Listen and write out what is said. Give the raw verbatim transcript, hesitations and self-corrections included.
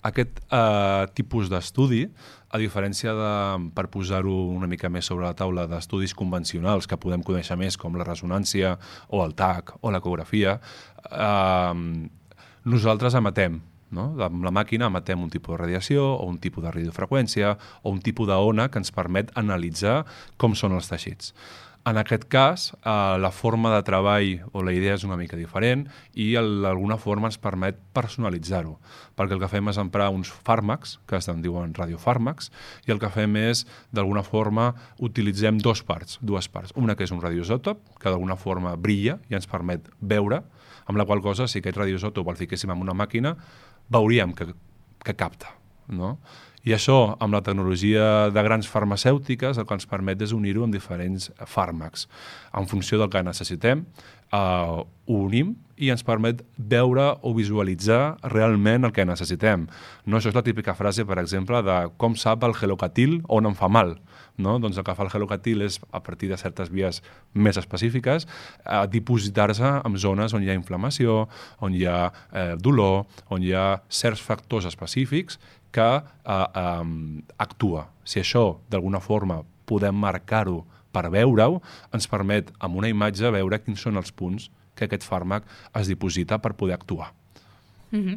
aquest eh, tipus d'estudi, a diferència de, per posar-ho una mica més sobre la taula, d'estudis convencionals que podem conèixer més, com la resonància o el T A C o l'ecografia, eh, nosaltres emetem, no? Amb la màquina emetem un tipus de radiació o un tipus de radiofreqüència o un tipus d'ona que ens permet analitzar com són els teixits. En aquest cas, eh, la forma de treball o la idea és una mica diferent i d'alguna forma ens permet personalitzar-ho, perquè el que fem és emprar uns fàrmacs, que es diuen radiofàrmacs, i el que fem és, d'alguna forma, utilitzem dos parts, dues parts. Una que és un radioisòtop, que d'alguna forma brilla i ens permet veure, amb la qual cosa, si aquest radioisòtop el fiquéssim en una màquina, veuríem que, que capta, no? I això, amb la tecnologia de grans farmacèutiques, el que ens permet és unir-ho amb diferents fàrmacs. En funció del que necessitem, eh, ho unim i ens permet veure o visualitzar realment el que necessitem. No, això és la típica frase, per exemple, de com sap el gelocatil on em fa mal. No? Doncs el que fa el gelocatil és, a partir de certes vies més específiques, eh, dipositar-se en zones on hi ha inflamació, on hi ha eh, dolor, on hi ha certs factors específics que eh, eh, actua. Si això, d'alguna forma, podem marcar-ho per veure-ho, ens permet, amb una imatge, veure quins són els punts que aquest fàrmac es diposita per poder actuar. Mm-hmm.